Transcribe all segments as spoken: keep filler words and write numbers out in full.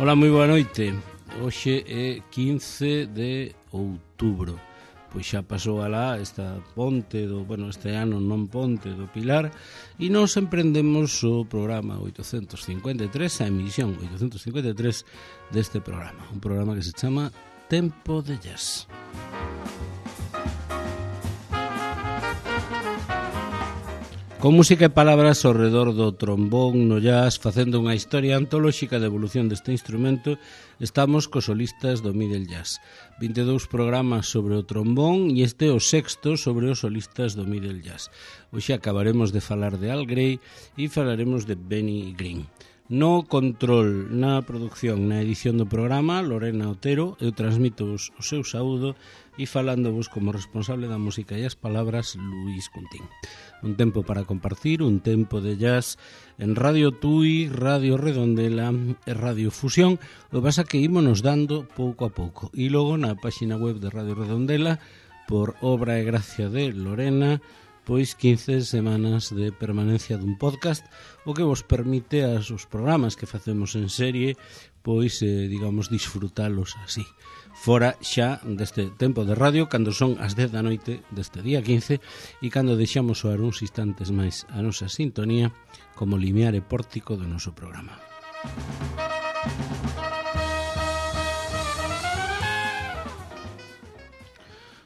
Ola, moi boa noite. Hoxe é quince de outubro. Pois xa pasou alá esta ponte do, bueno, este ano non ponte do Pilar, e nos emprendemos o programa oitocentos cincuenta e tres, a emisión oitocentos cincuenta e tres deste programa, un programa que se chama Tempo de Jazz. Con música e palabras ao redor do trombón no jazz, facendo unha historia antolóxica de evolución deste instrumento, estamos cos solistas do middle jazz. vinte e dous programas sobre o trombón e este é o sexto sobre os solistas do middle jazz. Hoxe acabaremos de falar de Al Gray e falaremos de Benny Green. No control, na producción, na edición do programa, Lorena Otero, eu transmito-vos o seu saúdo e falándovos como responsable da música e as palabras, Luís Cuntín. Un tempo para compartir, un tempo de jazz en Radio Tui, Radio Redondela e Radio Fusión. O que pasa que ímonos dando pouco a pouco. E logo na páxina web de Radio Redondela, por obra e gracia de Lorena, pois quince semanas de permanencia dun podcast, o que vos permite as os programas que facemos en serie, pois, eh, digamos, disfrutalos así. Fora xa deste tempo de radio, cando son as dez da noite deste día quince, e cando deixamos soar uns instantes máis a nosa sintonía como limiar e pórtico do noso programa.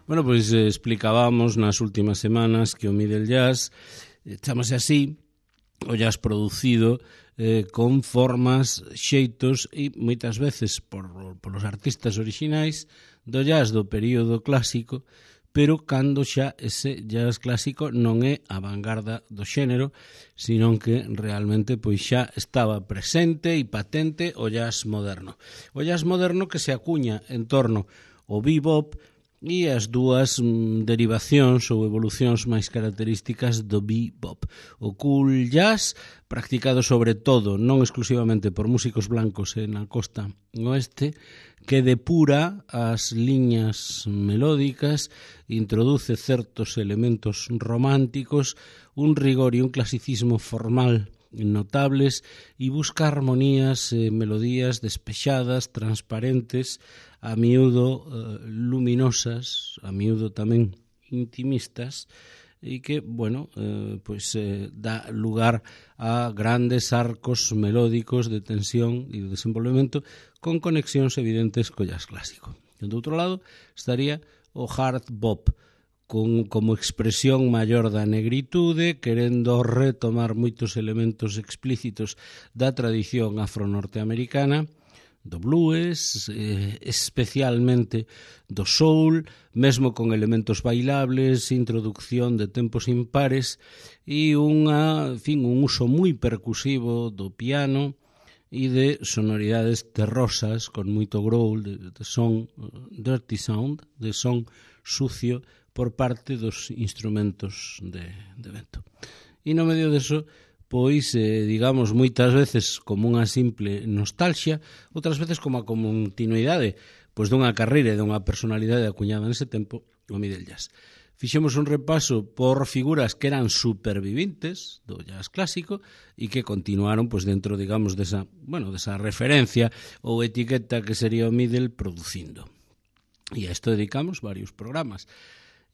Bueno, pois eh, explicábamos nas últimas semanas que o middle jazz, eh, chamase así, o jazz producido eh, con formas, xeitos e moitas veces por, por os artistas orixinais do jazz do período clásico, pero cando xa ese jazz clásico non é a vanguarda do xénero, sino que realmente pois xa estaba presente e patente o jazz moderno. O jazz moderno que se acuña en torno ao bebop e as dúas mm, derivacións ou evolucións máis características do bebop. O cool jazz, practicado sobre todo, non exclusivamente por músicos blancos na costa oeste, que depura as liñas melódicas, introduce certos elementos románticos, un rigor e un clasicismo formal notables e busca armonías e eh, melodías despexadas, transparentes, a miúdo eh, luminosas, a miúdo tamén intimistas, e que, bueno, eh, pues, eh, dá lugar a grandes arcos melódicos de tensión e de desenvolvemento con conexións evidentes co jazz clásico. E do outro lado estaría o hard bop, con, como expresión maior da negritude, querendo retomar moitos elementos explícitos da tradición afro-norteamericana, do blues, eh, especialmente do soul, mesmo con elementos bailables, introducción de tempos impares e unha, en fin, un uso moi percusivo do piano e de sonoridades terrosas con moito growl, de, de son dirty sound, de son sucio por parte dos instrumentos de, de vento. E no medio deso, pois, eh, digamos, moitas veces como unha simple nostalgia, outras veces como a continuidade pois dunha carreira e dunha personalidade acuñada nese tempo, o middle jazz. Fixemos un repaso por figuras que eran superviventes do jazz clásico e que continuaron pois dentro, digamos, desa, bueno, desa referencia ou etiqueta que sería o middle producindo. E a isto dedicamos varios programas.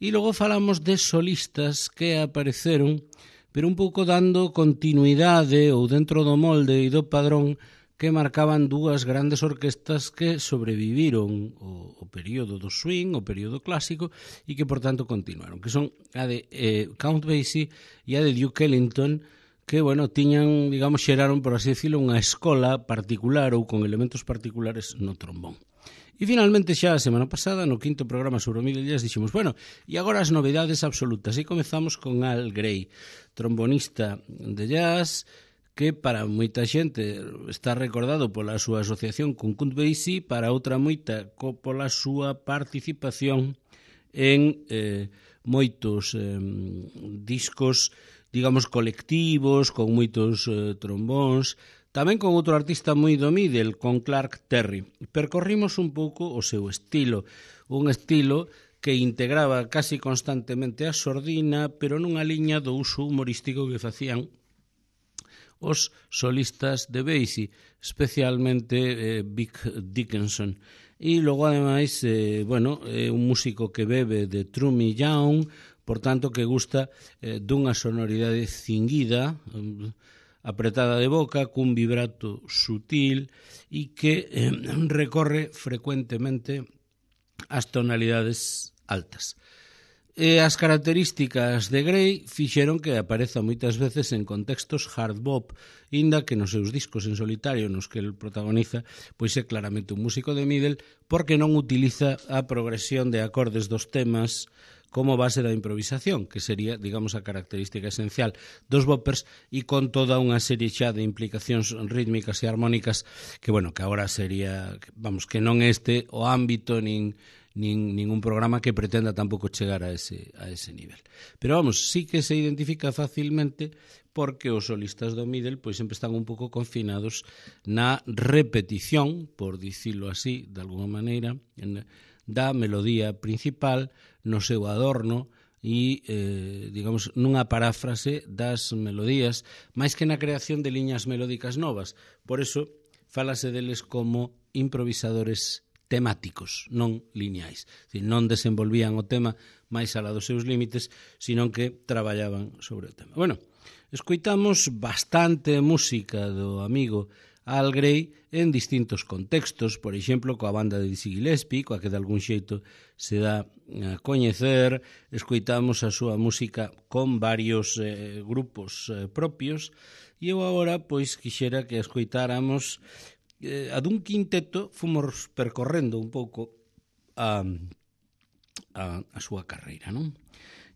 E logo falamos de solistas que apareceron, pero un pouco dando continuidade ou dentro do molde e do padrón que marcaban dúas grandes orquestas que sobreviviron o, o período do swing, o período clásico, e que, por tanto, continuaron, que son a de eh, Count Basie e a de Duke Ellington, que, bueno, tiñan, digamos, xeraron, por así decirlo, unha escola particular ou con elementos particulares no trombón. E finalmente xa a semana pasada, no quinto programa sobre o middle jazz, dixemos, bueno, e agora as novidades absolutas. E comezamos con Al Gray, trombonista de jazz, que para moita xente está recordado pola súa asociación con Count Basie, para outra moita pola súa participación en eh, moitos eh, discos, digamos, colectivos, con moitos eh, trombóns, tamén con outro artista moi do middle, con Clark Terry. Percorrimos un pouco o seu estilo, un estilo que integraba casi constantemente a sordina, pero nunha liña do uso humorístico que facían os solistas de Basie, especialmente eh, Vic Dickinson. E logo, ademais, eh, bueno, é un músico que bebe de Trummy Young, por tanto, que gusta eh, dunha sonoridade cinguida, eh, apretada de boca, cun vibrato sutil e que eh, recorre frecuentemente as tonalidades altas. E as características de Gray fixeron que apareza moitas veces en contextos hard bop, inda que nos seus discos en solitario nos que el protagoniza, pois é claramente un músico de middle, porque non utiliza a progresión de acordes dos temas como base da improvisación, que sería, digamos, a característica esencial dos boppers, e con toda unha serie xa de implicacións rítmicas e armónicas que, bueno, que agora sería, vamos, que non este o ámbito nin nin ningún programa que pretenda tampouco chegar a ese a ese nivel. Pero vamos, sí que se identifica facilmente porque os solistas do middle pois sempre están un pouco confinados na repetición, por dicilo así, de alguma maneira, en, da melodía principal, no seu adorno e, eh, digamos, nunha paráfrase das melodías, máis que na creación de liñas melódicas novas. Por eso, fálase deles como improvisadores temáticos, non lineais. Dicir, non desenvolvían o tema máis alá dos seus límites, sino que traballaban sobre o tema. Bueno, escoitamos bastante música do amigo Al Gray en distintos contextos, por exemplo, coa banda de Dizzy Gillespie, coa que de algún xeito se dá a coñecer, escoitamos a súa música con varios eh, grupos eh, propios, e eu agora, pois, quixera que escoitáramos a dun quinteto. Fomos percorrendo un pouco a, a, a súa carreira, non?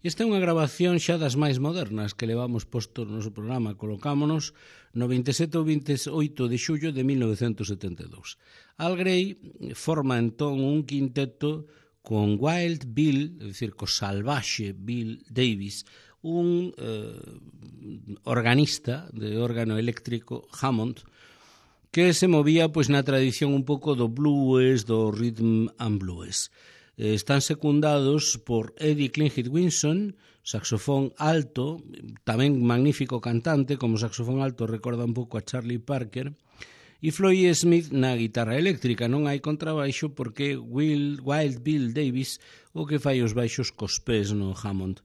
Esta é unha grabación xa das máis modernas que levamos posto no noso programa. Colocámonos no veintisiete ou veintioito de xullo de mil novecentos setenta e dous. Al Gray forma entón un quinteto con Wild Bill, é dicir, co salvaxe Bill Davis, un eh, organista de órgano eléctrico Hammond, que se movía pois na tradición un pouco do blues, do rhythm and blues. Eh, están secundados por Eddie Klingit Winson, saxofón alto, tamén magnífico cantante, como saxofón alto recorda un pouco a Charlie Parker, e Floyd Smith na guitarra eléctrica. Non hai contrabaixo porque Will, Wild Bill Davis o que fai os baixos cos pés no Hammond.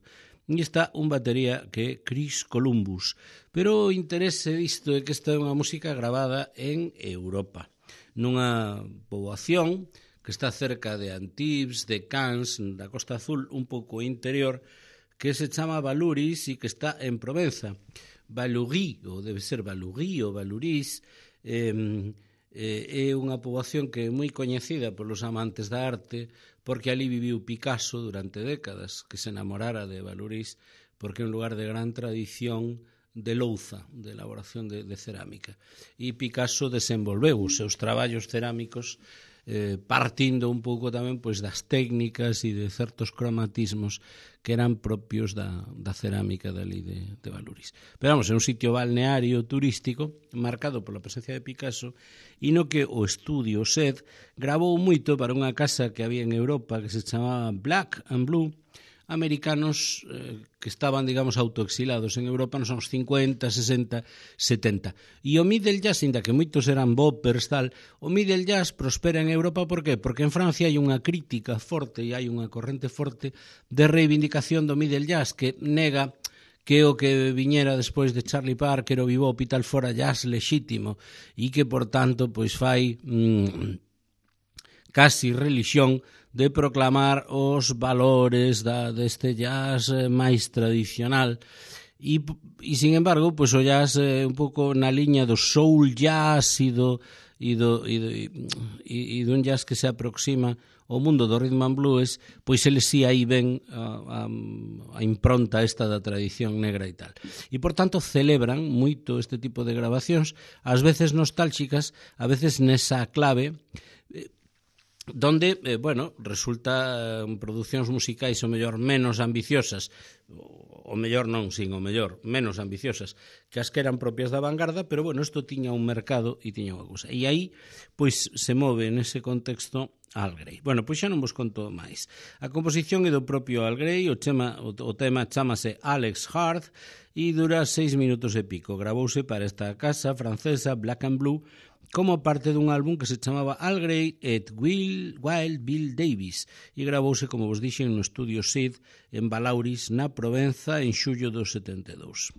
E está un batería que é Chris Columbus. Pero o interese disto é que esta é unha música gravada en Europa, nunha poboación que está cerca de Antibes, de Cannes, da Costa Azul, un pouco interior, que se chama Valuris e que está en Provenza. Valurí, ou debe ser Valurí ou Valurís, eh, eh, é unha poboación que é moi coñecida polos amantes da arte, porque ali viviu Picasso durante décadas, que se enamorara de Valurís, porque é un lugar de gran tradición de louza, de elaboración de, de cerámica. E Picasso desenvolveu os seus traballos cerámicos eh, partindo un pouco tamén pois das técnicas e de certos cromatismos que eran propios da, da cerámica dali de, de Valurís. Pero vamos, é un sitio balneario turístico marcado pola presencia de Picasso e no que o estudio S E D gravou moito para unha casa que había en Europa que se chamaba Black and Blue, americanos eh, que estaban, digamos, autoexilados en Europa nos anos cincuenta, sesenta, setenta. E o middle jazz, inda que moitos eran boppers, tal, o middle jazz prospera en Europa, por qué? Porque en Francia hai unha crítica forte e hai unha corrente forte de reivindicación do middle jazz que nega que o que viñera despois de Charlie Parker o bebop e tal fora jazz lexítimo e que, por tanto, pois fai mmm, casi religión de proclamar os valores da, deste jazz máis tradicional e, e sin embargo, pois o jazz é un pouco na liña do soul jazz e do, e do, e do, e, e dun jazz que se aproxima ao mundo do rhythm and blues, pois eles si aí ven a, a, a impronta esta da tradición negra e tal. E, por tanto, celebran moito este tipo de grabacións, ás veces nostálxicas, a veces nesa clave donde, eh, bueno, resulta eh, producións musicais o mellor menos ambiciosas, o mellor non, sin o mellor, menos ambiciosas que as que eran propias da vanguarda, pero bueno, isto tiña un mercado e tiña unha cousa. E aí, pois, se move nese contexto Al Grey. Bueno, pois xa non vos conto máis. A composición é do propio Al Grey, o tema, o, o tema chamase Alex Hart e dura seis minutos e pico. Gravouse para esta casa francesa Black and Blue como parte dun álbum que se chamaba Al Grey et Will, Wild Bill Davis e gravouse, como vos dixen, no estudio Sid en Balauris, na Provenza, en xullo do setenta e dous.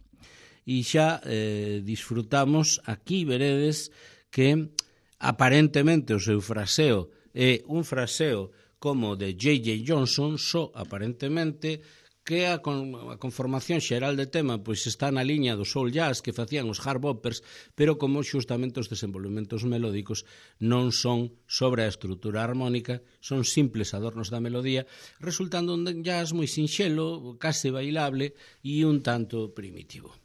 E xa eh, disfrutamos, aquí veredes que aparentemente o seu fraseo é un fraseo como de J J Johnson, só aparentemente, que a, con, a conformación xeral de tema pois está na liña do soul jazz que facían os hard boppers, pero como xustamente os desenvolvementos melódicos non son sobre a estrutura armónica, son simples adornos da melodía, resultando un jazz moi sinxelo, case bailable e un tanto primitivo.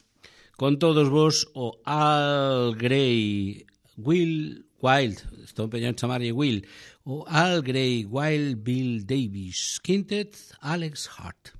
Con todos vos, o Al Grey Will Wild, estou empeñando en chamarlle Will, o Al Grey Wild Bill Davis Quintet, Alex Hart.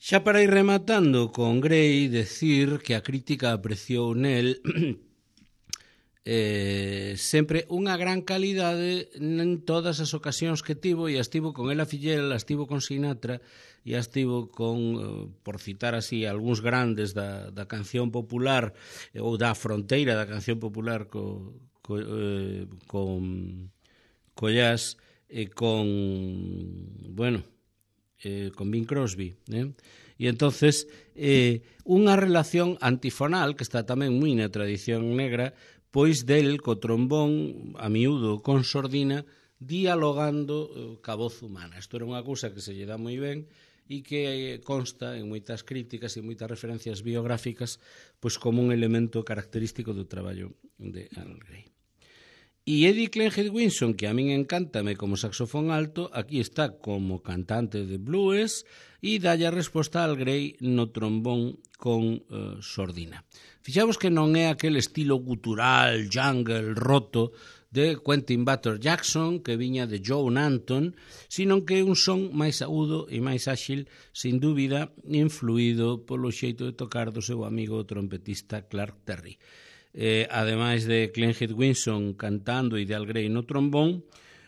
Xa para ir rematando con Gray, decir que a crítica apreciou nel eh, sempre unha gran calidade en todas as ocasións que tivo, e as tivo con Ella Fitzgerald, as tivo con Sinatra, e as tivo con, por citar así, algúns grandes da, da canción popular, ou da fronteira da canción popular co, co, eh, con, co jazz, e con, bueno, eh, con Bing Crosby, eh? E entonces eh, unha relación antifonal que está tamén moi na tradición negra, pois del co trombón a miúdo con sordina dialogando eh, ca voz humana. Isto era unha cousa que se lle dá moi ben e que consta en moitas críticas e moitas referencias biográficas pois como un elemento característico do traballo de Al Gray. E Eddie Kleinhead Winson, que a min encántame como saxofón alto, aquí está como cantante de blues e dalle a resposta a Al Gray no trombón con uh, sordina. Fixavos que non é aquel estilo gutural, jungle, roto de Quentin Butler Jackson, que viña de Joe Nanton, sino que é un son máis agudo e máis áxil, sin dúbida, influído polo xeito de tocar do seu amigo trompetista Clark Terry. Eh, ademais de Kleinhead Winson cantando e de Al Gray no trombón,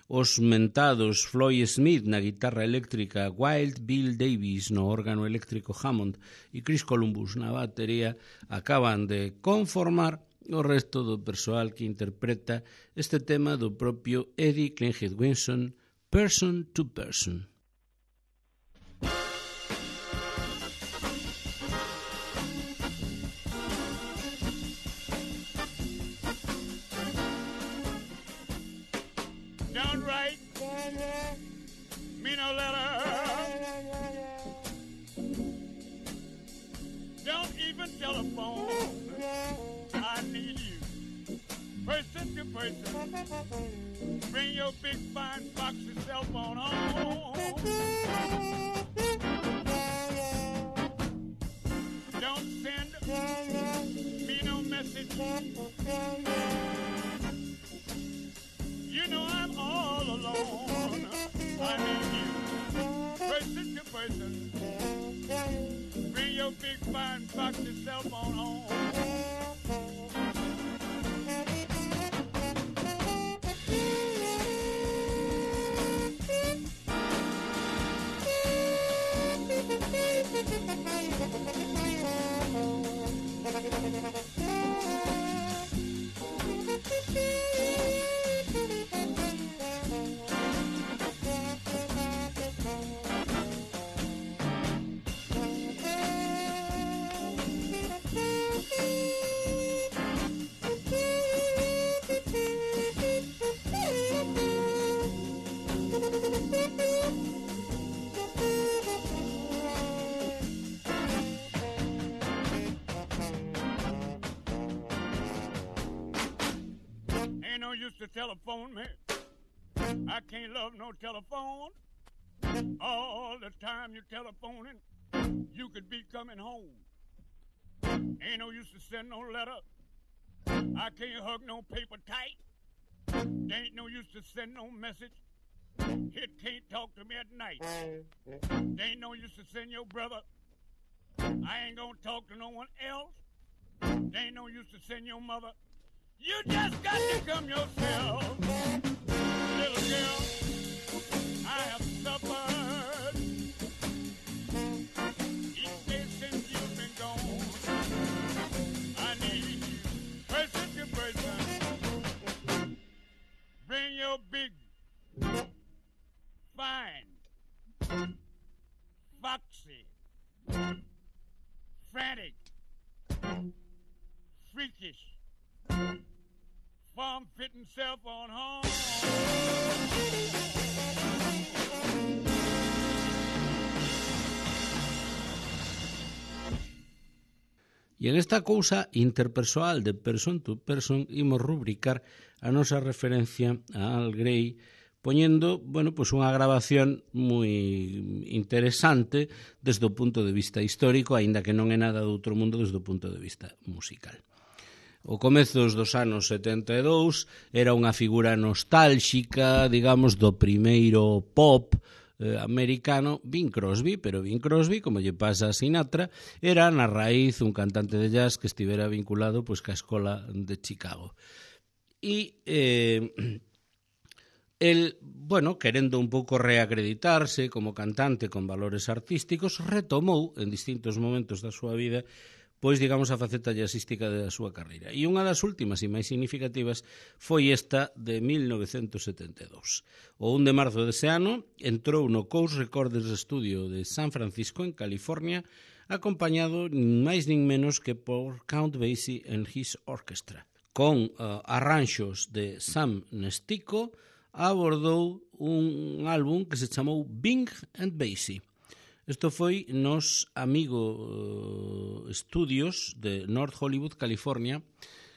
os mentados Floyd Smith na guitarra eléctrica, Wild Bill Davis no órgano eléctrico Hammond e Chris Columbus na batería acaban de conformar o resto do persoal que interpreta este tema do propio Eddie Kleinhead Winson, Person to Person. Downright, me no letter. Don't even telephone. I need you, person to person. Bring your big fine foxy cell phone home. Don't send me no message. You know I'm all alone. I need you, person to person. Bring your big fine foxy cell phone home. Ain't no use to telephone me. I can't love no telephone. All the time you're telephoning, you could be coming home. Ain't no use to send no letter. I can't hug no paper tight. There ain't no use to send no message. It can't talk to me at night. There ain't no use to send your brother. I ain't gonna talk to no one else. There ain't no use to send your mother. You just got to come yourself. Little girl, I have suffered each day since you've been gone. I need you, person to person. Bring your big, fine, foxy, frantic, freakish, form-fitting cell phone home. E en esta cousa interpersoal de person to person imos rubricar a nosa referencia a Al Gray poñendo, bueno, pues unha grabación moi interesante desde o punto de vista histórico, aínda que non é nada do outro mundo desde o punto de vista musical. O comezos dos anos setenta e dous era unha figura nostálxica, digamos, do primeiro pop eh, americano Bing Crosby, pero Bing Crosby, como lle pasa a Sinatra, era na raíz un cantante de jazz que estivera vinculado pois ca escola de Chicago. E eh, el, bueno, querendo un pouco reacreditarse como cantante con valores artísticos, retomou en distintos momentos da súa vida pois, digamos, a faceta jazzística da súa carreira. E unha das últimas e máis significativas foi esta de mil novecentos setenta e dous. O un de marzo dese ano entrou no Coast Recorders Studio de San Francisco, en California, acompañado nin máis nin menos que por Count Basie and his Orchestra. Con uh, arranxos de Sam Nestico, abordou un álbum que se chamou Bing and Basie. Isto foi nos Amigo uh, Studios de North Hollywood, California,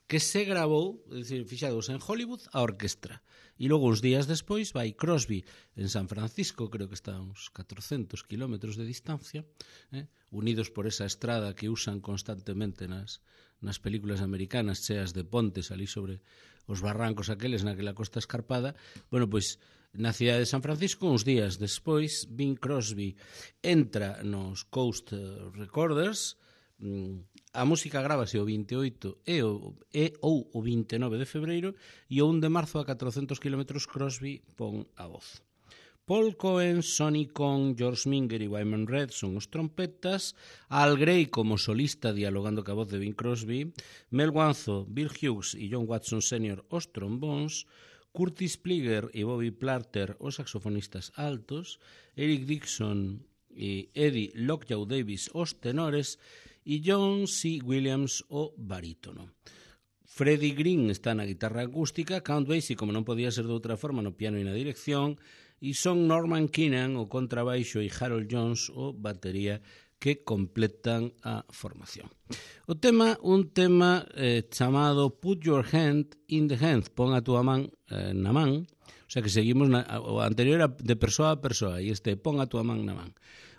que se grabou, é dicir, fixados en Hollywood, a orquestra. E logo, uns días despois, vai Crosby en San Francisco, creo que está a uns catrocentos kilómetros de distancia, eh, unidos por esa estrada que usan constantemente nas, nas películas americanas, cheas de pontes ali sobre os barrancos aqueles naquela costa escarpada. Bueno, pois, na cidade de San Francisco, uns días despois, Bing Crosby entra nos Coast Recorders. A música grábase o vinte e oito e, o, e ou o vinte e nove de febreiro, e o un de marzo a catrocentos kilómetros Crosby pon a voz. Paul Cohen, Sonny Kong, George Minger e Wyman Red son os trompetas, Al Gray como solista dialogando ca voz de Bing Crosby, Mel Wanzo, Bill Hughes e John Watson senior os trombóns, Curtis Pliger e Bobby Platter os saxofonistas altos, Eric Dixon e Eddie Lockjaw Davis os tenores e John C. Williams o barítono. Freddie Green está na guitarra acústica, Count Basie, como non podía ser de outra forma, no piano e na dirección, e son Norman Keenan o contrabaixo e Harold Jones o batería, que completan a formación. O tema, un tema eh, chamado Put Your Hand in the Hand, pon a túa man eh, na man, o sea que seguimos, na, o anterior era de persoa a persoa, e este pon a túa man na man.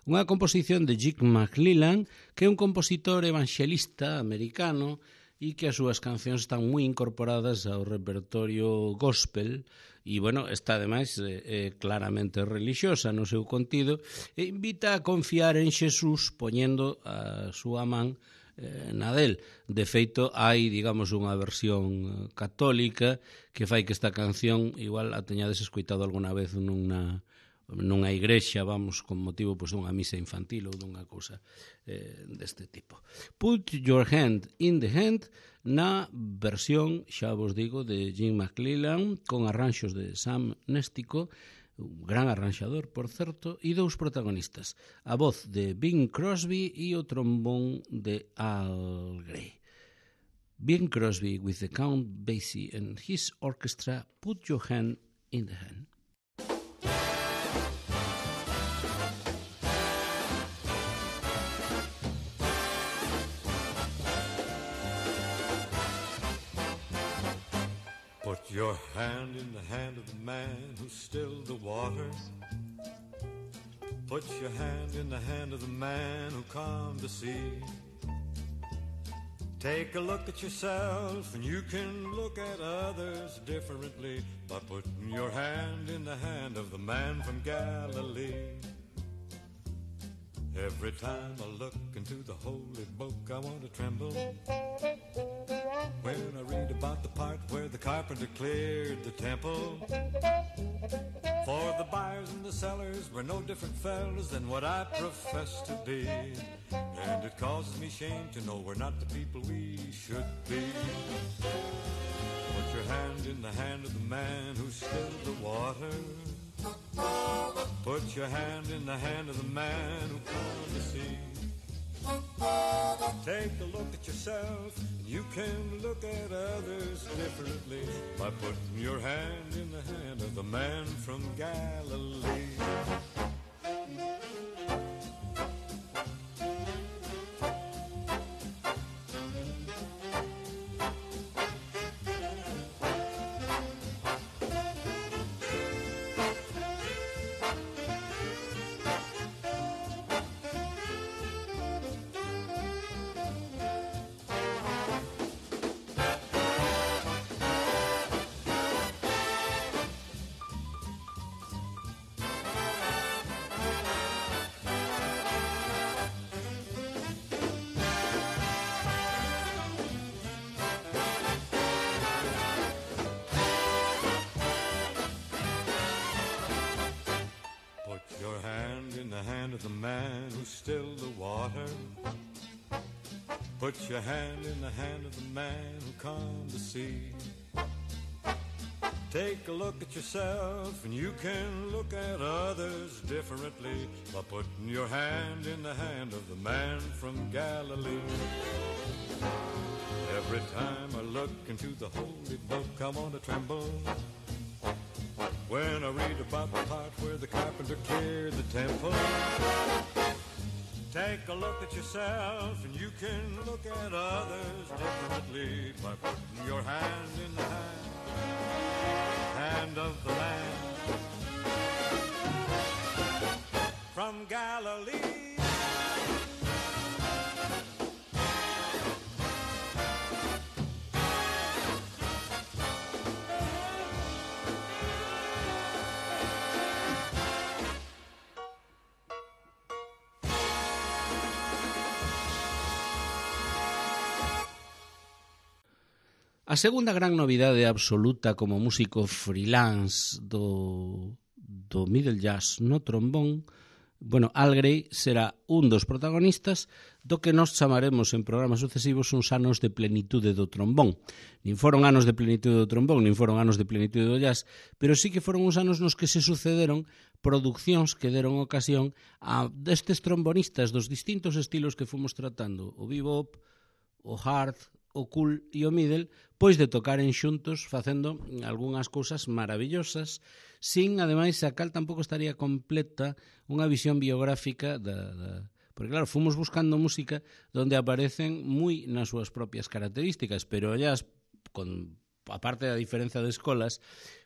Unha composición de Jig McLellan, que é un compositor evangelista americano e que as súas cancións están moi incorporadas ao repertorio gospel, e, bueno, está, ademais, eh, eh, claramente religiosa no seu contido, e invita a confiar en Xesús poñendo a súa man eh, na del. De feito, hai, digamos, unha versión católica que fai que esta canción igual a teñades escoitado alguna vez nunha nunha igrexa, vamos, con motivo pois, dunha misa infantil ou dunha cousa eh, deste tipo. Put Your Hand in the Hand, na versión, xa vos digo, de Jim McLellan, con arranxos de Sam Nestico, un gran arranxador, por certo, e dous protagonistas, a voz de Bing Crosby e o trombón de Al Gray. Bing Crosby with the Count Basie and his orchestra, Put Your Hand in the Hand. Put your hand in the hand of the man who stilled the waters. Put your hand in the hand of the man who calmed the sea. Take a look at yourself and you can look at others differently by putting your hand in the hand of the man from Galilee. Every time I look into the holy book, I want to tremble when I read about the part where the carpenter cleared the temple. For the buyers and the sellers were no different fellas than what I profess to be, and it causes me shame to know we're not the people we should be. Put your hand in the hand of the man who stilled the water. Put your hand in the hand of the man who calmed the sea. Take a look at yourself and you can look at others differently by putting your hand in the hand of the man from Galilee. of the man who stilled the water. Put your hand in the hand of the man who calmed the sea. Take a look at yourself and you can look at others differently by putting your hand in the hand of the man from Galilee. Every time I look into the holy book, I want to tremble when I read about the part where the carpenter cleared the temple. Take a look at yourself and you can look at others differently by putting your hand in the hand hand of the man from Galilee. A segunda gran novidade absoluta como músico freelance do, do middle jazz no trombón, bueno, Al Gray será un dos protagonistas do que nos chamaremos en programas sucesivos uns anos de plenitude do trombón. Nin foron anos de plenitude do trombón, nin foron anos de plenitude do jazz, pero sí que foron uns anos nos que se sucederon produccións que deron ocasión a destes trombonistas dos distintos estilos que fomos tratando, o bebop, o hard, o cool e o middle, pois de tocaren xuntos facendo algunhas cousas maravillosas, sin, ademais, a cal tampouco estaría completa unha visión biográfica da, da... Porque, claro, fomos buscando música donde aparecen moi nas súas propias características, pero ellas, con, aparte da diferenza de escolas,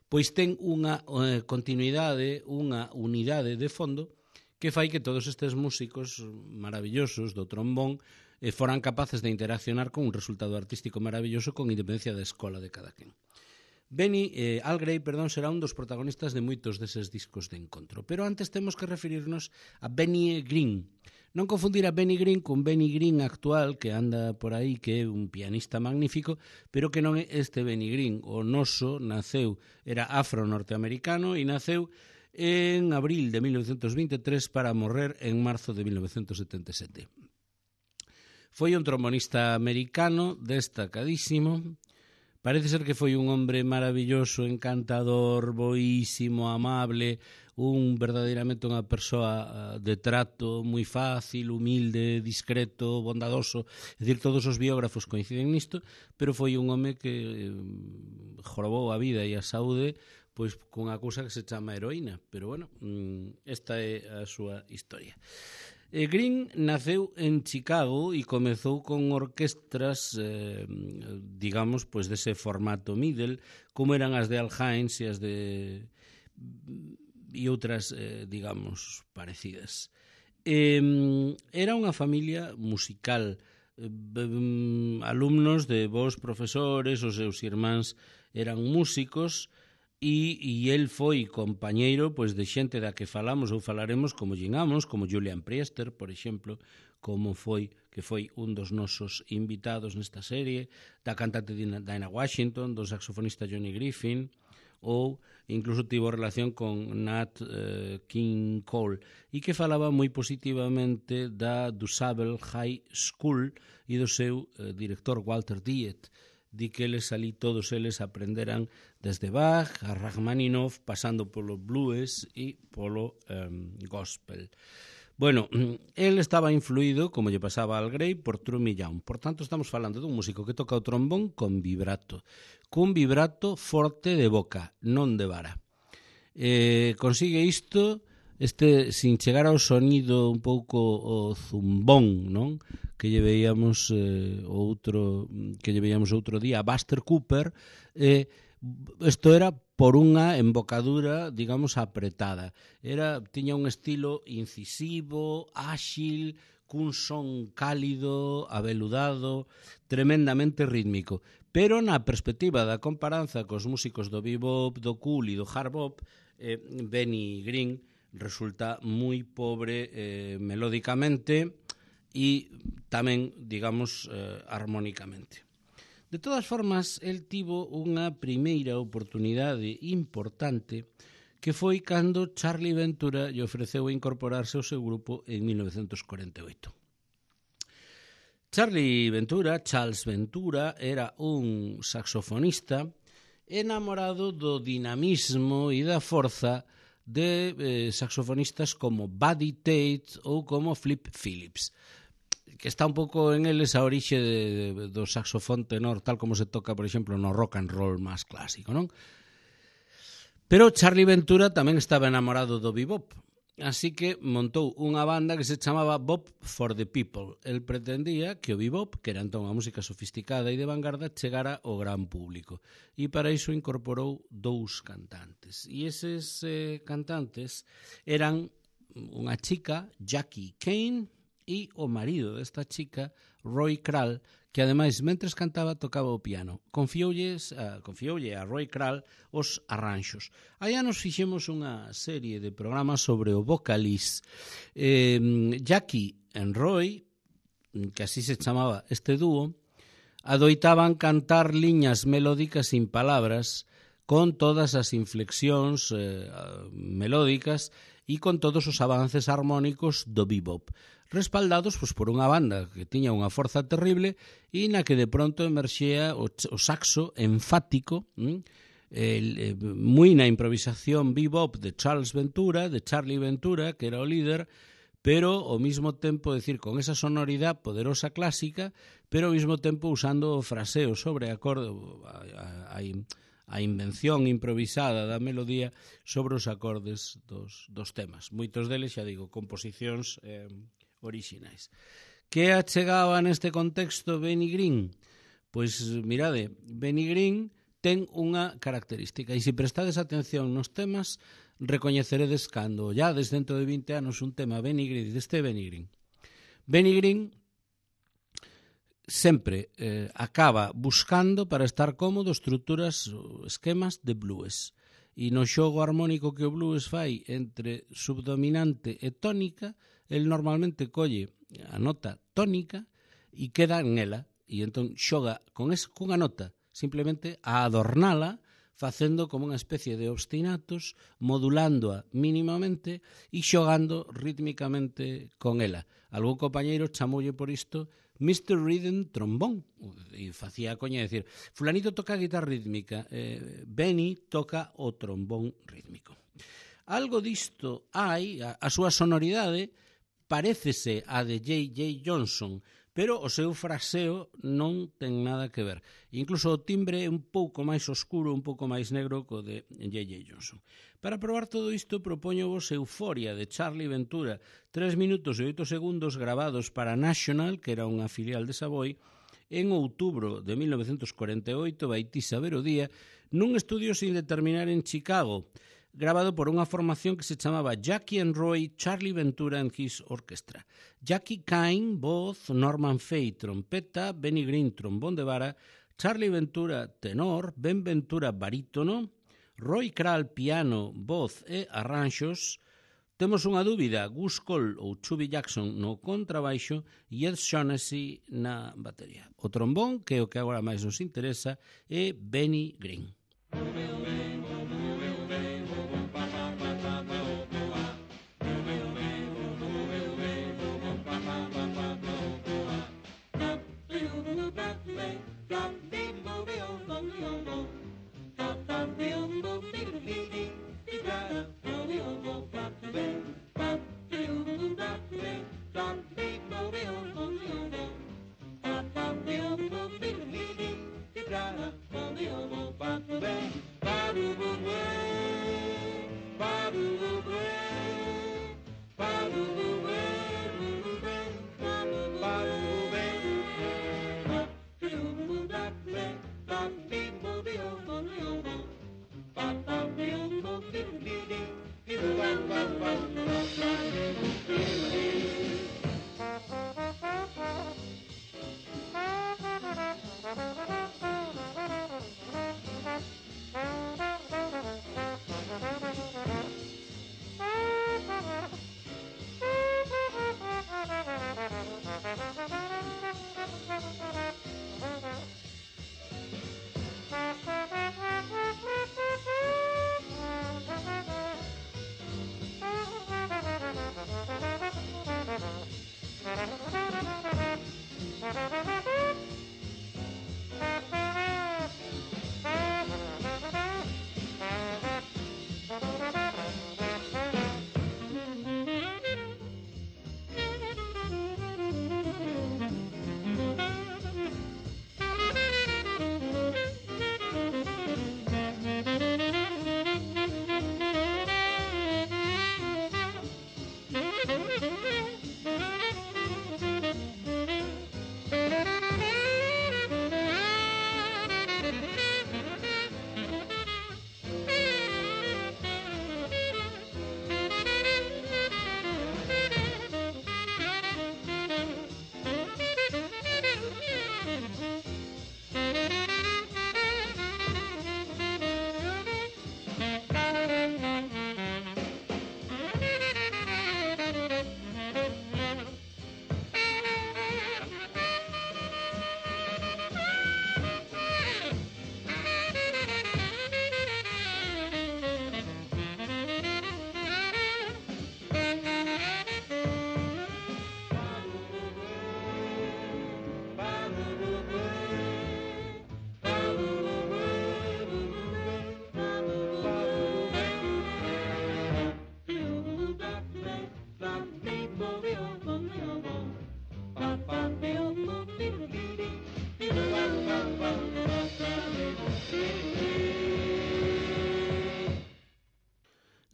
pois ten unha eh, continuidade, unha unidade de fondo que fai que todos estes músicos maravillosos do trombón e foran capaces de interaccionar con un resultado artístico maravilloso con independencia da escola de cada quen. Benny, eh, Al Gray, perdón, será un dos protagonistas de moitos deses discos de encontro. Pero antes temos que referirnos a Benny Green. Non confundir a Benny Green con Benny Green actual, que anda por aí, que é un pianista magnífico, pero que non é este Benny Green. O noso naceu, era afro-norteamericano e naceu en abril de mil novecientos veintitrés para morrer en marzo de mil novecientos setenta e sete. Foi un trombonista americano destacadísimo. Parece ser que foi un hombre maravilloso, encantador, boísimo, amable, un verdadeiramente unha persoa de trato moi fácil, humilde, discreto, bondadoso. É dicir, todos os biógrafos coinciden nisto, pero foi un home que jorobou a vida e a saúde pois con a cousa que se chama heroína. Pero, bueno, esta é a súa historia. Green naceu en Chicago e comezou con orquestras, eh, digamos, pois dese formato middle, como eran as de Al Hines e as de e outras, eh, digamos, parecidas. Eh, era unha familia musical, eh, alumnos de bons profesores, os seus irmáns eran músicos, E, e el foi compañeiro pois, de xente da que falamos ou falaremos como Gene Ammons, como Julian Priester, por exemplo, como foi que foi un dos nosos invitados nesta serie, da cantante Dinah Washington, do saxofonista Johnny Griffin, ou incluso tivo relación con Nat eh, King Cole, e que falaba moi positivamente da DuSable High School e do seu eh, director Walter Diet. Di que eles ali, todos eles aprenderan desde Bach a Rachmaninoff, pasando polo blues e polo um, gospel. Bueno, el estaba influído, como lle pasaba al Gray, por Trumy Young. Por tanto, estamos falando dun músico que toca o trombón con vibrato, cun vibrato forte de boca, non de vara. Eh, consigue isto este sin chegar ao sonido un pouco o zumbón, non? Que lle veíamos eh, outro que lle veíamos outro día a Buster Cooper, eh, isto era por unha embocadura, digamos, apretada. Era tiña un estilo incisivo, áxil, cun son cálido, aveludado, tremendamente rítmico. Pero na perspectiva da comparanza cos músicos do bebop, do cool e do hard bop, eh, Benny Green resulta moi pobre eh, melódicamente e tamén, digamos, eh, armónicamente. De todas formas, el tivo unha primeira oportunidade importante que foi cando Charlie Ventura lle ofreceu incorporarse ao seu grupo en mil novecientos cuarenta e oito. Charlie Ventura, Charles Ventura, era un saxofonista enamorado do dinamismo e da forza de eh, saxofonistas como Buddy Tate ou como Flip Phillips, que está un pouco en eles a orixe de, de, do saxofón tenor, tal como se toca, por exemplo, no rock and roll máis clásico, non? Pero Charlie Ventura tamén estaba enamorado do bebop, así que montou unha banda que se chamaba Bop for the People. El pretendía que o bebop, que era entón unha música sofisticada e de vanguarda, chegara ao gran público. E para iso incorporou dous cantantes. E eses eh, cantantes eran unha chica, Jackie Kane, e o marido desta chica, Roy Kral, que ademais, mentres cantaba, tocaba o piano. Confioulles, uh, confioulle a Roy Kral os arranxos. Allá nos fixemos unha serie de programas sobre o vocalís. Eh, Jackie e Roy, que así se chamaba este dúo, adoitaban cantar liñas melódicas sin palabras, con todas as inflexións eh, melódicas e con todos os avances armónicos do bebop, respaldados pois, por unha banda que tiña unha forza terrible e na que de pronto emerxea o, o saxo enfático, hm? el, eh, moi na improvisación bebop de Charles Ventura, de Charlie Ventura, que era o líder, pero ao mesmo tempo, decir, con esa sonoridade poderosa clásica, pero ao mesmo tempo usando o fraseo sobre acorde, a, a, a, a invención improvisada da melodía sobre os acordes dos, dos temas. Moitos deles, xa digo, composicións eh, orixinais. Que achegaba neste contexto Benny Green? Pois, mirade, Benny Green ten unha característica, e se prestades atención nos temas, recoñeceredes cando, ya desde dentro de vinte anos, un tema Benny Green, deste Benny Green. Benny Green sempre eh, acaba buscando, para estar cómodo, estruturas, esquemas de blues. E no xogo armónico que o blues fai entre subdominante e tónica, el normalmente colle a nota tónica e queda en ela, e entón xoga con esa, cunha nota, simplemente a adornala, facendo como unha especie de obstinatos, modulándoa mínimamente e xogando rítmicamente con ela. Algún compañeiro chamoulle por isto mister Rhythm Trombón, e facía a coña de decir, fulanito toca a guitarra rítmica, eh, Benny toca o trombón rítmico. Algo disto hai, a, a súa sonoridade parécese a de J J Johnson, pero o seu fraseo non ten nada que ver. Incluso o timbre é un pouco máis oscuro, un pouco máis negro co de J J Johnson. Para probar todo isto, propoño vos Euforia de Charlie Ventura, tres minutos e oito segundos grabados para National, que era unha filial de Savoy, en outubro de mil novecientos cuarenta e oito, vaití saber o día, nun estudio sin determinar en Chicago, grabado por unha formación que se chamaba Jackie and Roy, Charlie Ventura and His Orchestra. Jackie Kane, voz, Norman Fay, trompeta, Benny Green, trombón de vara, Charlie Ventura, tenor, Ben Ventura, barítono, Roy Kral, piano, voz e arranxos. Temos unha dúbida, Gus Cole ou Chubby Jackson no contrabaixo e Ed Shaughnessy na batería. O trombón, que é o que agora máis nos interesa, é Benny Green.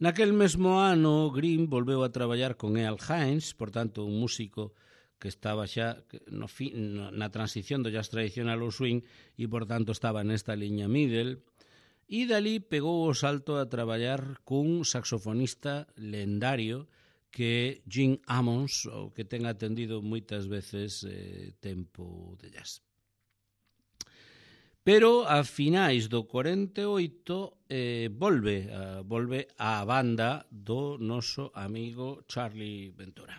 Naquel mesmo ano, Green volveu a traballar con Earl Hines, por tanto, un músico que estaba xa no fi, na transición do jazz tradicional ao swing e, por tanto, estaba nesta liña middle. E dali pegou o salto a traballar cun saxofonista lendario que é Gene Ammons, o que ten atendido moitas veces eh, tempo de jazz. Pero a finais do cuarenta e oito eh, volve, a, volve a banda do noso amigo Charlie Ventura.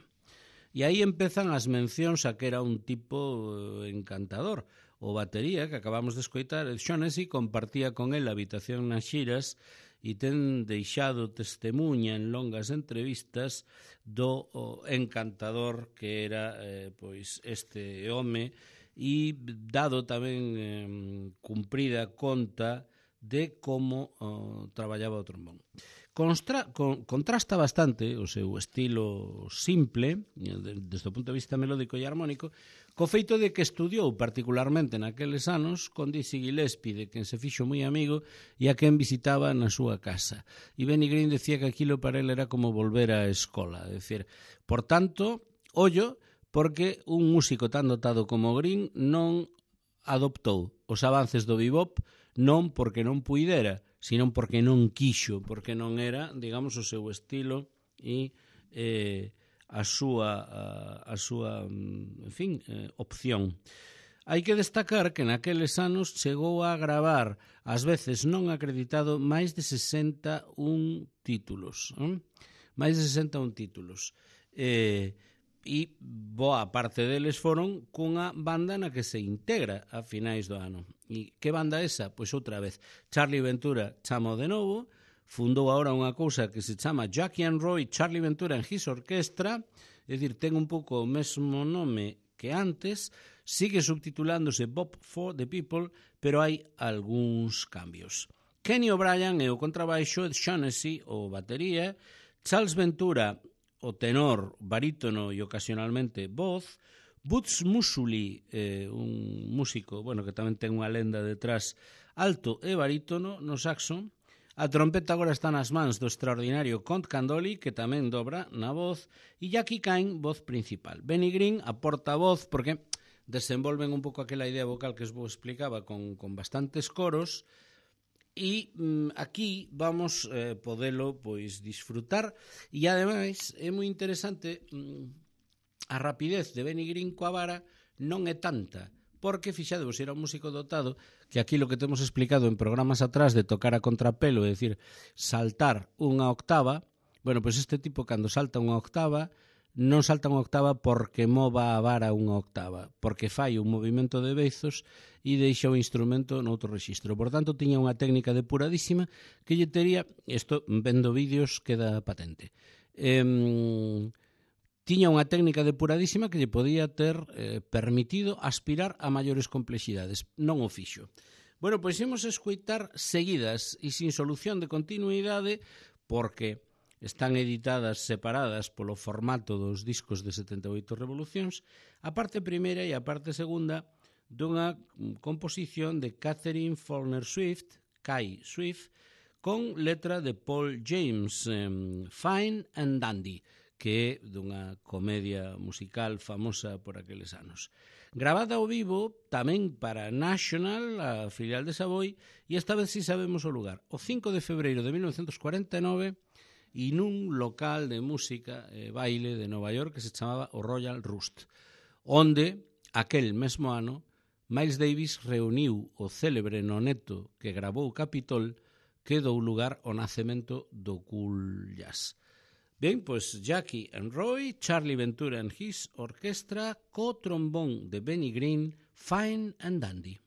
E aí empezan as mencións a que era un tipo encantador. O batería, que acabamos de escoitar, Shaughnessy, compartía con el a habitación nas xiras e ten deixado testemunha en longas entrevistas do encantador que era eh, pois este home, e dado tamén eh, cumprida conta de como oh, traballaba o trombón. Constra, con, contrasta bastante o seu estilo simple, desde o punto de vista melódico e armónico, co feito de que estudiou particularmente naqueles anos con Dizzy Gillespie, de quen se fixo moi amigo e a quen visitaba na súa casa. E Benny Green decía que aquilo para ele era como volver á escola. É dicir, por tanto, ollo, porque un músico tan dotado como Green non adoptou os avances do bebop, non porque non puidera, sino porque non quixo, porque non era, digamos, o seu estilo e eh, a súa, a, a súa, en fin, eh, opción. Hai que destacar que naqueles anos chegou a gravar, ás veces non acreditado, máis de sesenta e un títulos. Eh? Máis de sesenta e un títulos. Eh, e boa parte deles foron cunha banda na que se integra a finais do ano. E que banda esa? Pois outra vez, Charlie Ventura chamo de novo, fundou agora unha cousa que se chama Jackie and Roy Charlie Ventura and His Orchestra, é dicir, ten un pouco o mesmo nome que antes, sigue subtitulándose Bop for the People, pero hai algúns cambios. Kenny O'Brien é o contrabaixo, Ed Shaughnessy o batería, Charles Ventura o tenor, barítono e ocasionalmente voz, Boots Musuli, eh, un músico, bueno, que tamén ten unha lenda detrás, alto e barítono no saxo. A trompeta agora está nas mans do extraordinario Count Candoli, que tamén dobra na voz, e Jackie Kine, voz principal. Benny Green aporta voz porque desenvolven un pouco aquela idea vocal que vos explicaba con, con bastantes coros. E mm, aquí vamos eh, podelo pois disfrutar, e ademais é moi interesante, mm, a rapidez de Benny Green coa vara non é tanta, porque fixadevos, era un músico dotado que aquí lo que temos explicado en programas atrás de tocar a contrapelo, é dicir, saltar unha octava. Bueno, pois este tipo cando salta unha octava non salta unha octava porque mova a vara unha octava, porque fai un movimento de beizos e deixa o instrumento noutro rexistro. Por tanto, tiña unha técnica depuradísima que lle tería, isto vendo vídeos queda patente, eh, tiña unha técnica depuradísima que lle podía ter eh, permitido aspirar a maiores complexidades. Non o fixo. Bueno, pois imos escoitar seguidas e sin solución de continuidade, porque están editadas separadas polo formato dos discos de setenta e oito revolucións, a parte primeira e a parte segunda dunha composición de Catherine Faulkner Swift, Kai Swift, con letra de Paul James, um, Fine and Dandy, que é dunha comedia musical famosa por aqueles anos. Gravada ao vivo tamén para National, a filial de Savoy, e esta vez si sabemos o lugar, o cinco de febreiro de mil novecentos cuarenta e nove, e nun local de música e baile de Nova York que se chamaba o Royal Roost, onde, aquel mesmo ano, Miles Davis reuniu o célebre noneto que gravou Capitol, que dou lugar ao nacemento do cool jazz. Ben, pois Jackie and Roy, Charlie Ventura and His Orchestra, co trombón de Benny Green, Fine and Dandy.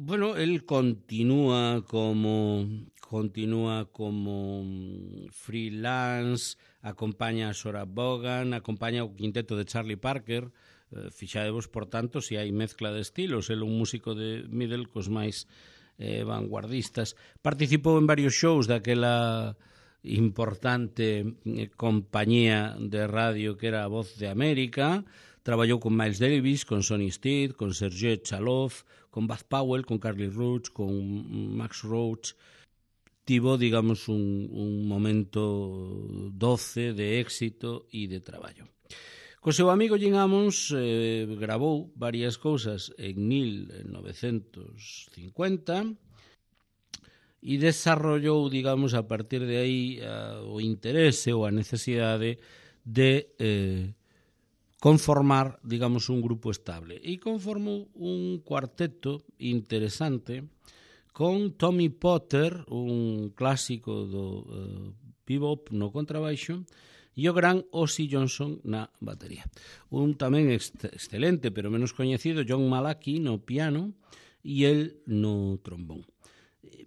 bueno, él continúa como continúa como freelance, acompaña a Sora Vaughan, acompaña o quinteto de Charlie Parker. Eh, fixadevos, por tanto, se hai mezcla de estilos. Ele un músico de middle cos máis eh, vanguardistas. Participou en varios shows daquela importante eh, compañía de radio que era a Voz de América. Traballou con Miles Davis, con Sonny Stitt, con Sergei Chaloff, con Buzz Powell, con Carly Roach, con Max Roach. Tivo, digamos, un, un momento doce de éxito e de traballo. Co seu amigo Jim Ammons eh, gravou varias cousas en mil novecentos cincuenta e desarrollou, digamos, a partir de aí a, o interese ou a necesidade de eh, conformar, digamos, un grupo estable. E conformou un cuarteto interesante con Tommy Potter, un clásico do uh, bebop no contrabaixo, e o gran Ozzy Johnson na batería. Un tamén ex excelente, pero menos coñecido, John Malachy no piano e el no trombón.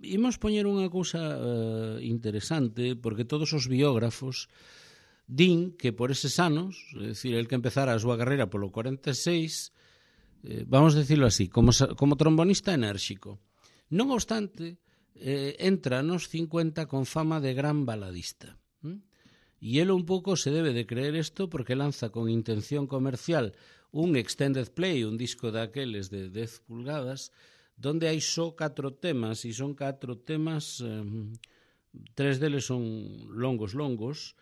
Imos poñer unha cousa uh, interesante, porque todos os biógrafos din que por eses anos, é dicir, el que empezara a súa carreira polo cuarenta e seis, eh, vamos decirlo así, como, como trombonista enérxico. Non obstante, eh, entra nos cincuenta con fama de gran baladista. ¿Mm? E ele un pouco se debe de creer isto porque lanza con intención comercial un extended play, un disco daqueles de dez pulgadas, donde hai só catro temas, e son catro temas, eh, tres deles son longos, longos,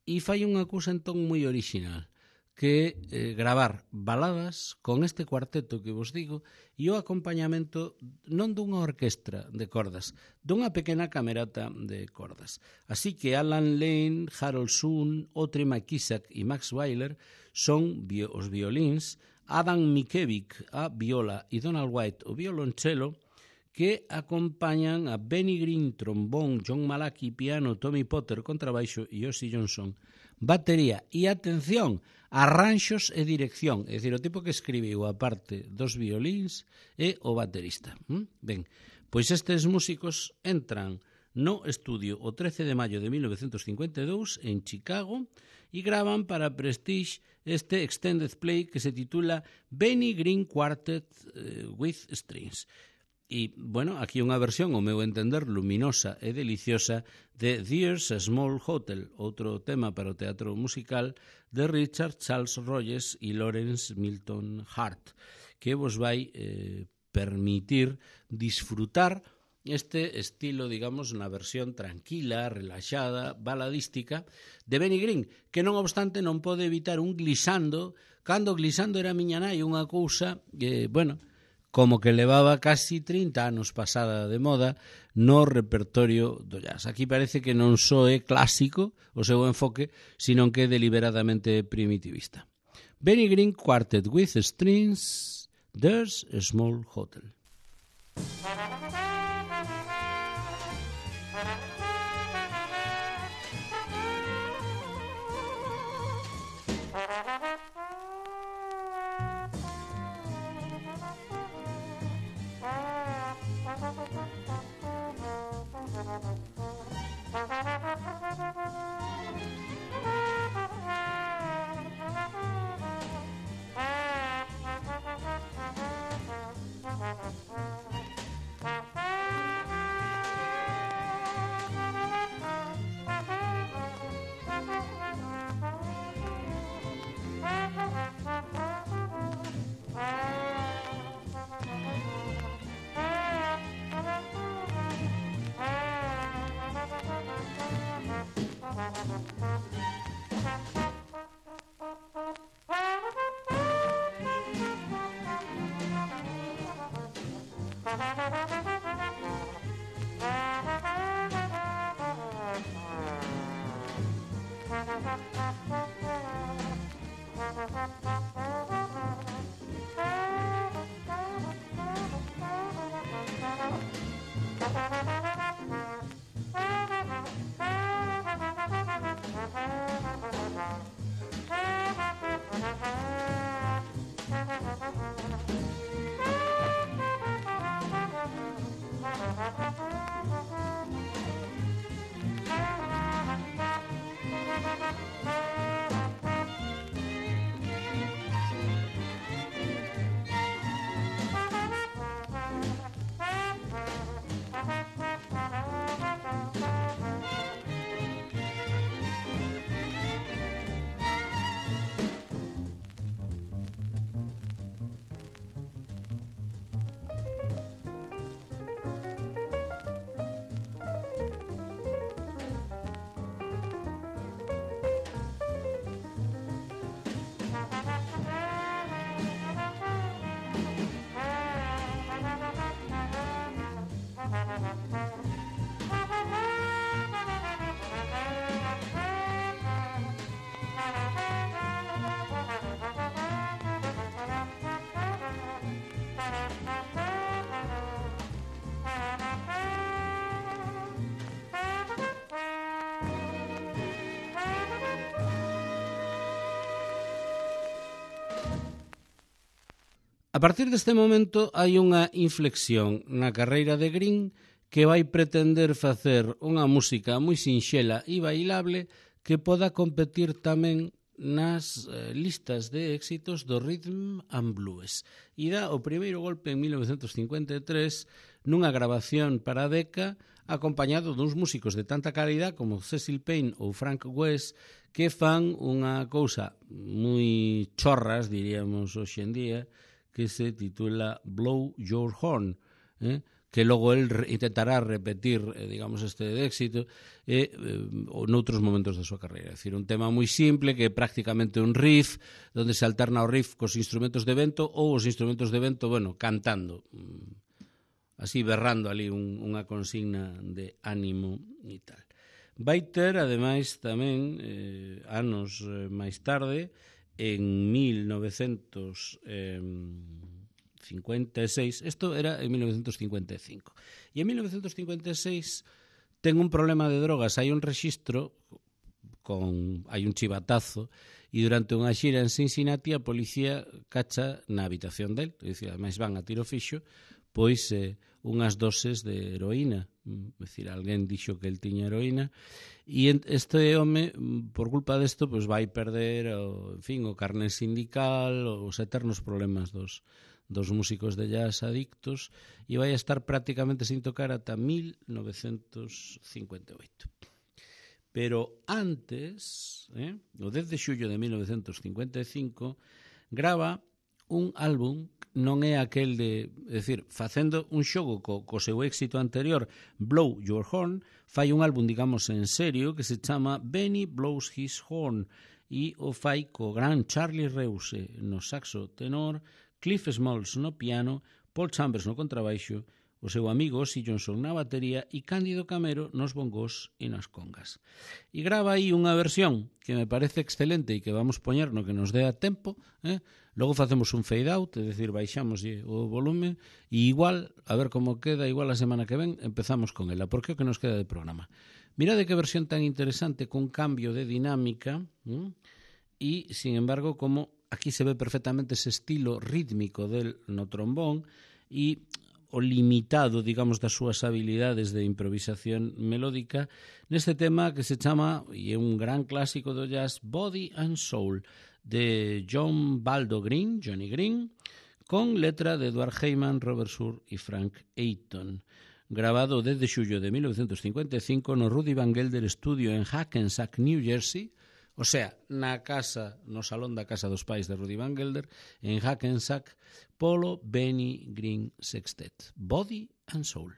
e fai unha cousa entón moi original, que eh, gravar baladas con este cuarteto que vos digo e o acompañamento non dunha orquestra de cordas, dunha pequena camerata de cordas. Así que Alan Lane, Harold Soon, Audrey McIsaac e Max Weiler son bio, os violíns, Adam Mickiewicz a viola e Donald White o violonchelo, que acompañan a Benny Green, trombón, John Malachy, piano, Tommy Potter, contrabaixo e Ozzy Johnson, batería. E atención, arranxos e dirección, é dicir, o tipo que escribiu a parte dos violíns e o baterista. ¿Mm? Ben, pois estes músicos entran no estudio o trece de maio de mil novecentos cincuenta e dous en Chicago e gravan para Prestige este extended play que se titula Benny Green Quartet uh, with Strings. E, bueno, aquí unha versión, ao meu entender, luminosa e deliciosa de There's a Small Hotel, outro tema para o teatro musical de Richard Charles Rogers e Lawrence Milton Hart, que vos vai eh, permitir disfrutar este estilo, digamos, na versión tranquila, relaxada, baladística de Benny Green, que non obstante non pode evitar un glissando, cando glissando era miña nai, unha cousa que, bueno, como que levaba casi trinta anos pasada de moda no repertorio do jazz. Aquí parece que non só é clásico o seu enfoque, sino que é deliberadamente primitivista. Benny Green Quartet with Strings, There's a Small Hotel. A partir deste momento hai unha inflexión na carreira de Green que vai pretender facer unha música moi sinxela e bailable que poda competir tamén nas eh, listas de éxitos do rhythm and blues. E dá o primeiro golpe en mil novecentos cincuenta e tres nunha grabación para a Decca acompañado duns músicos de tanta calidad como Cecil Payne ou Frank West que fan unha cousa moi chorras, diríamos hoxe en día, que se titula Blow Your Horn, eh? que logo el intentará repetir, eh, digamos, este de éxito eh, eh, noutros momentos da súa carreira. É dicir, un tema moi simple que é prácticamente un riff, onde se alterna o riff cos instrumentos de vento ou os instrumentos de vento, bueno, cantando, así berrando ali un, unha consigna de ánimo e tal. Vai ter, ademais, tamén, eh, anos eh, máis tarde, en mil novecentos cincuenta e seis, isto era en mil novecentos cincuenta e cinco, e en mil novecentos cincuenta e seis ten un problema de drogas, hai un rexistro, con, hai un chivatazo, e durante unha xira en Cincinnati a policía cacha na habitación del, é dicir, ademais van a tiro fixo, pois eh, unhas doses de heroína, é dicir, alguén dixo que el tiña heroína, e este home, por culpa desto, pois vai perder o, en fin, o carné sindical, os eternos problemas dos, dos músicos de jazz adictos, e vai a estar prácticamente sin tocar ata mil novecentos cincuenta e oito. Pero antes, eh, o dez de xullo de mil novecentos cincuenta e cinco, grava un álbum, non é aquel de, é dicir, facendo un xogo co, co seu éxito anterior, Blow Your Horn, fai un álbum, digamos, en serio, que se chama Benny Blows His Horn, e o fai co gran Charlie Reuse no saxo tenor, Cliff Smalls no piano, Paul Chambers no contrabaixo, o seu amigo Ossie Johnson na batería e Cándido Camero nos bongos e nas congas. E grava aí unha versión que me parece excelente e que vamos poñer no que nos dé a tempo, eh? Logo facemos un fade out, é dicir, baixamos o volumen e igual, a ver como queda, igual a semana que ven empezamos con ela, porque é o que nos queda de programa. Mirade que versión tan interesante, con cambio de dinámica, eh? E, sin embargo, como aquí se ve perfectamente ese estilo rítmico del no trombón e o limitado, digamos, das súas habilidades de improvisación melódica neste tema que se chama, e é un gran clásico do jazz, Body and Soul, de John Baldo Green, Johnny Green, con letra de Edward Heyman, Robert Sur e Frank Ayton, grabado desde xullo de mil novecentos cincuenta e cinco no Rudy Van Gelder Studio en Hackensack, New Jersey, o sea, na casa, no salón da casa dos pais de Rudy Van Gelder, en Hackensack, polo Benny Green Sextet. Body and Soul.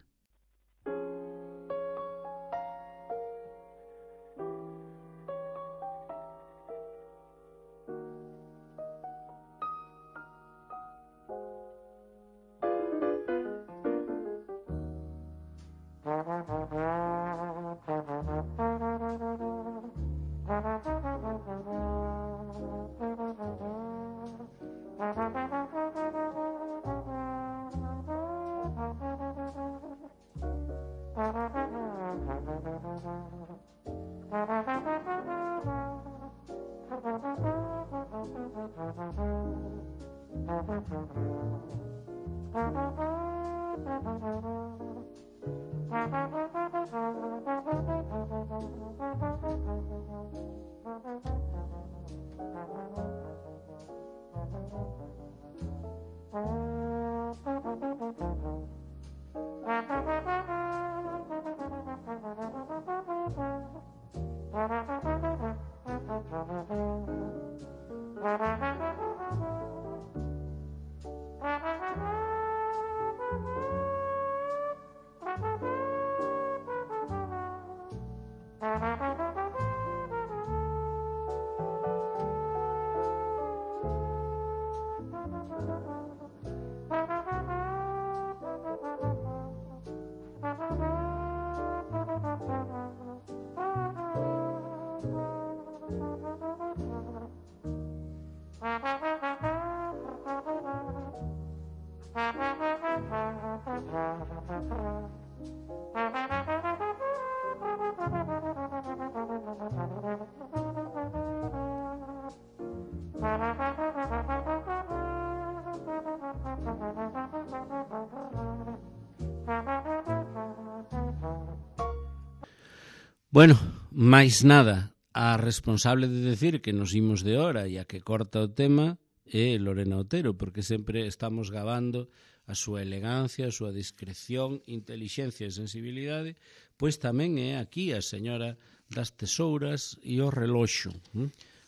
Bueno, máis nada, a responsable de decir que nos imos de hora e a que corta o tema é Lorena Otero, porque sempre estamos gabando a súa elegancia, a súa discreción, intelixencia e sensibilidade, pois tamén é aquí a señora das tesouras e o reloxo.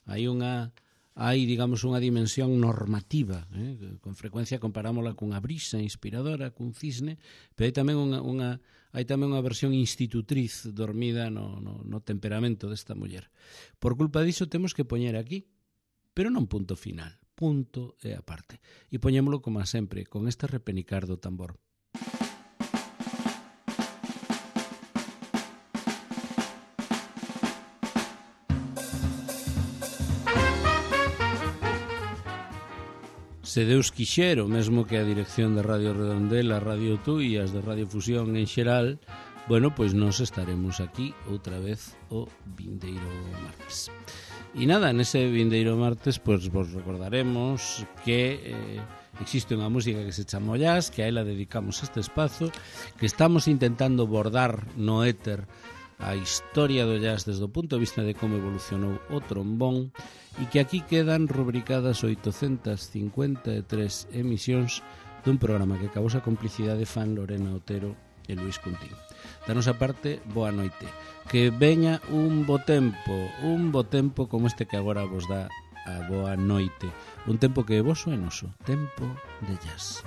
Hai unha, hai, digamos, unha dimensión normativa, eh? Con frecuencia comparámola cunha brisa inspiradora, cun cisne, pero hai tamén unha, unha hai tamén unha versión institutriz dormida no, no, no temperamento desta muller. Por culpa diso temos que poñer aquí, pero non punto final, punto e aparte. E poñémolo como a sempre, con este repenicar do tambor. Se Deus quixero, mesmo que a dirección de Radio Redondela, Radio Tú e as de Radio Fusión en xeral, bueno, pois nos estaremos aquí outra vez o vindeiro martes. E nada, nese vindeiro martes, pois vos recordaremos que eh, existe unha música que se chama Jazz, que a ela dedicamos este espazo, que estamos intentando bordar no éter a historia do jazz desde o punto de vista de como evolucionou o trombón, e que aquí quedan rubricadas oitocentas cincuenta e tres emisións dun programa que acabou a complicidade fan Lorena Otero e Luis Cuntín. Da nosa parte, boa noite. Que veña un bo tempo, un bo tempo como este que agora vos dá a boa noite. Un tempo que é voso e noso, tempo de jazz.